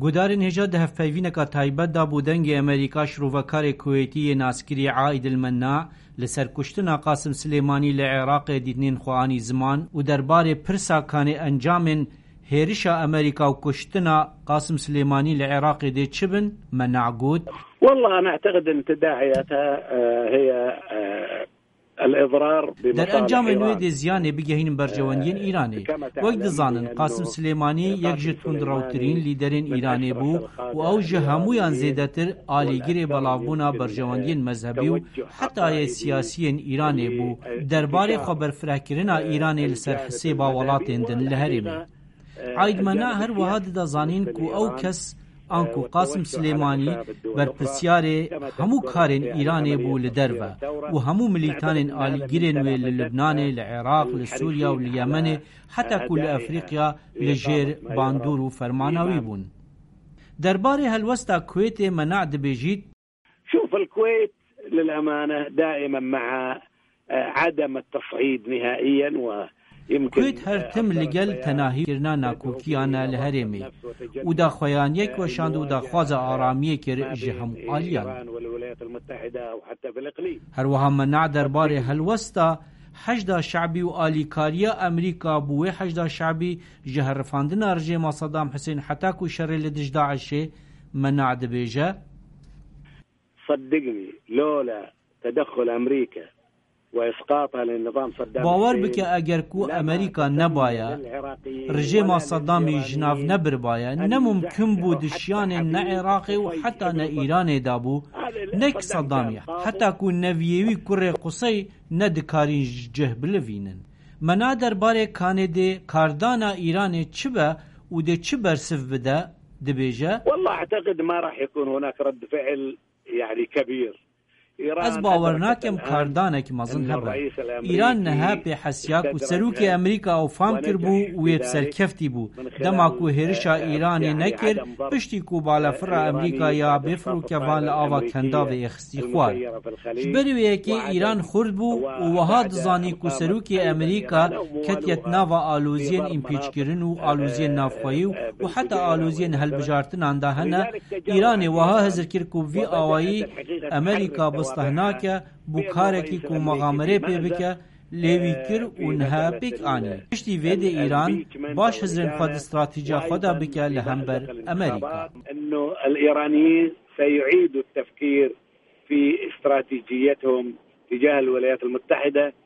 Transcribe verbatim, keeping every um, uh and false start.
Guhdarên hêja di hevpeyvîneka taybet de bo Dengê Amerîka şirovekarê Kuwêtî yê naskirî Aîd El Menna li ser kuştina Qasim Silêmanî li Iraqê dîtinên xwe anî ziman û derbarê pirsa kanê encamên hêrişa Amerîka û kuştina Qasim Silêmanî li Iraqê dê çi bin, Menna got: والله أنا أعتقد أن تداعياتها، آه، هي، آه، الإضرار بمصالح إيران. Derencamên wê dê ziyanê bigehînin berjewendiyên Îranê. Wek dizanin, Qasim Silêmanî yek ji tundrewtirîn lîderên Îranê bû û ew ji hemûyan zêdetir alîgirê belavbûna berjewendiyên mezhebî û heta yê siyasiyên Îranê bû. Derbarê xweberfirehkirina Îranê li ser hisêba welatên din li herêmê. Aîd Mena her wiha dida zanîn ku ew kes, anku Qasim Silêmanî, berpirsyarê hemû karên Îranê bû li derve û hemû milîtanên alîgirên wê li Libnanê, li Iraq, li Sûriya û li Yemenê, heta ku li Efrîqya li jêr bandor û fermana wî bûn. Derbarê helwesta Kuwêtê Mena dibêjît: شوف، الكويت للأمانة دائمًا مع، آه، عدم التصعيد نهائيًا، ويمكن، Kuwêt her tim li gel tenahîkirina nakokiyana li herêmê û daxuyaniyek weşand û daxwaza aramiyê kir ji hemû aliyan. Her wiha Mena derbarê helwesta Heşda Şebî û alîkariya Amerîka bo wê Heşda Şebî ji herifandina rejêma Sedam Husên heta ku şerê li dij DAIŞê, Mena dibêje: صدقني، لولا تدخل أمريكا وإسقاطها لنظام صدام Bawer حسين bike, eger ku Amerîka nebaye, rejêma Sedamî ji nav nebiribaye, ne mumkin bû di şiyanên ne Iraqê û heta ne Îranê de bû, ne ki Sedamî, heta ku neviyê wî kurê Qusey nedikarîn ji cih bilivînin. Mena derbarê kanê dê kardana Îranê çi be û dê çi bersiv bide, dibêje: والله أعتقد ما راح يكون هناك رد فعل، يعني، كبير. Ez bawer nakim kardanek mezin hebe. Îran niha pê hesiya ku serokê Amerîka ew fam kiribû û wê bi serkeftî bû. Dema ku hêrişa Îranê nekir, piştî ku balafira Amerîka ya bê firokevan li ava Kendavê ê xistî xwar. Ji ber wê yekê Îran xurt bû û wiha dizanî ku serokê Amerîka ketiye di nava aloziyên împîçkirin û aloziyên navxweyî û, û heta aloziyên hilbijartinan de hene. Îranê wiha hizir kir ku bi vî awayî Amerîka bisteh nake bo karekî ku mexamerê pê bike, lê wî kir û niha pêk anî. Piştî vê dê Îran baş hizrên xwe di stratîjiya xwe de bike li hember Amerîka. إنه الإيرانيين سيعيدوا التفكير في استراتيجيتهم تجاه الولايات المتحدة.